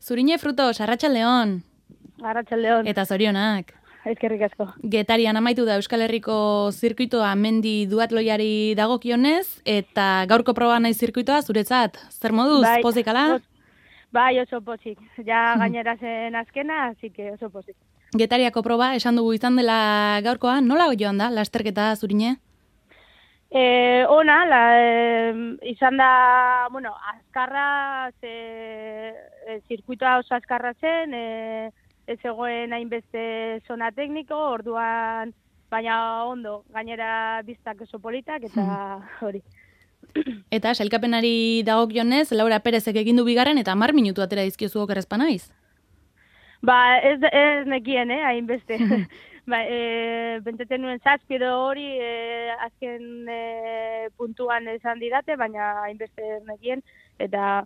Zurine Frutos, Arratsaldeon. Arratsaldeon. Eta zorionak. Eskerrik asko. Getarian amaitu da Euskal Herriko zirkuitoa mendi duatloiari dagokionez, eta gaurko proba nahi zirkuitoa zuretzat. Zer moduz, pozik ala? Bai, oso pozik. Ja gainera zen azkena, así que oso pozik. Getariako proba, esan dugu izan dela gaurkoa, nola joan da, lasterketa Zurine? Izan da, bueno, azkarra, zirkuitoa oso azkarra zen, ez zegoen hainbeste zona tekniko, orduan, baina ondo, gainera biztak oso politak, eta hori. Eta sailkapenari dagokionez, Laura Perezek egin du bigarren, eta 10 minutu atera dizkiozu okerrezpa naiz? Ba, ez nekien, hainbeste. Benteten nuen 7 edo hori azken puntuan esan didate, baina hainbeste nekien, eta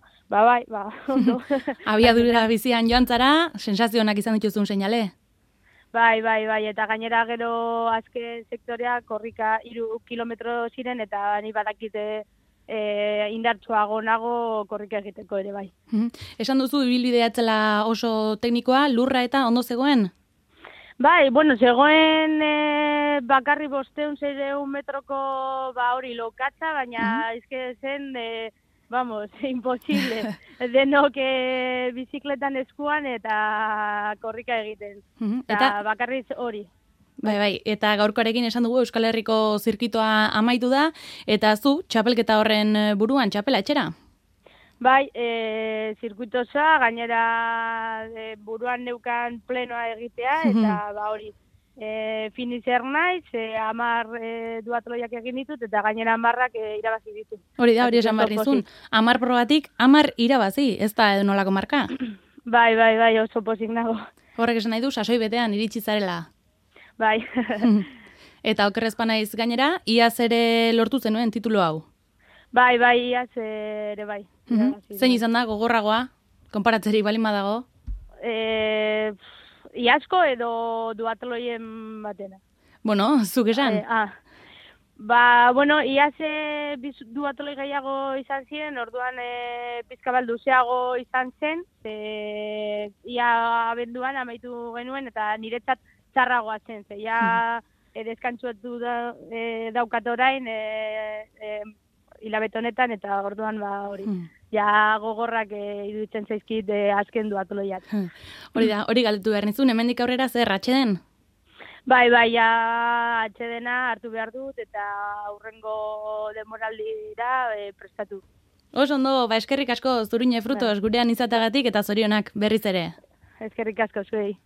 ondo. Abiadura bizian joan zara, sensazionak izan dituzun seinale? Bai, eta gainera gero azken sektorea korrika 3 kilometro ziren, eta ni badakite indartsuago nago korrika egiteko ere bai. Esan duzu ibilbidea etzela oso teknikoa, lurra eta ondo zegoen? Bai, bueno, zegoen bakarri 500-600 metroko hori lokatza, baina ezke zen, imposible. Denok bizikletan eskuan eta korrika egiten. Eta bakarriz hori. Bai, eta gaurkoarekin esan dugu Euskal Herriko zirkitoa amaitu da, eta zu, txapelketa horren buruan, txapela etxera? Bai, zirkuitosa, gainera buruan neukan plenoa egitea, eta hori, finizer naiz, 10 duatloiak egin ditut, eta gainera 10ak irabazi ditut. Hori da, hori esan barrizun, 10 probatik, 10 irabazi, ez da edo nolako marka? Bai, oso pozik nago. Horrek esan nahi du, sasoi betean iritsi zarela. Bai. Eta okerrezpa naiz gainera, iaz ere lortu zenuen titulu hau? Bai, iaz ere bai. Zein izan da, gogorragoa? Konparatzeri balin badago? Iazko edo duatloien batena. Bueno, zuk esan? Iaz duatloi gehiago izan ziren, orduan pizka balduzeago izan zen, ia abenduan amaitu genuen, eta niretzat txarragoa zen, ja deskantzuetu daukat orain hilabete honetan, eta orduan hori. Ja gogorrak iruditzen zaizkit azken duatloiak. Hori da, hori galdetu behar nizun, hemendik aurrera zer, atxeden? Bai, ja atxedena hartu behar dut, eta aurrengo demoraldira prestatu. Oso ondo, eskerrik asko Zurine Frutos gurean izatagatik eta zorionak berriz ere. Eskerrik asko zuei.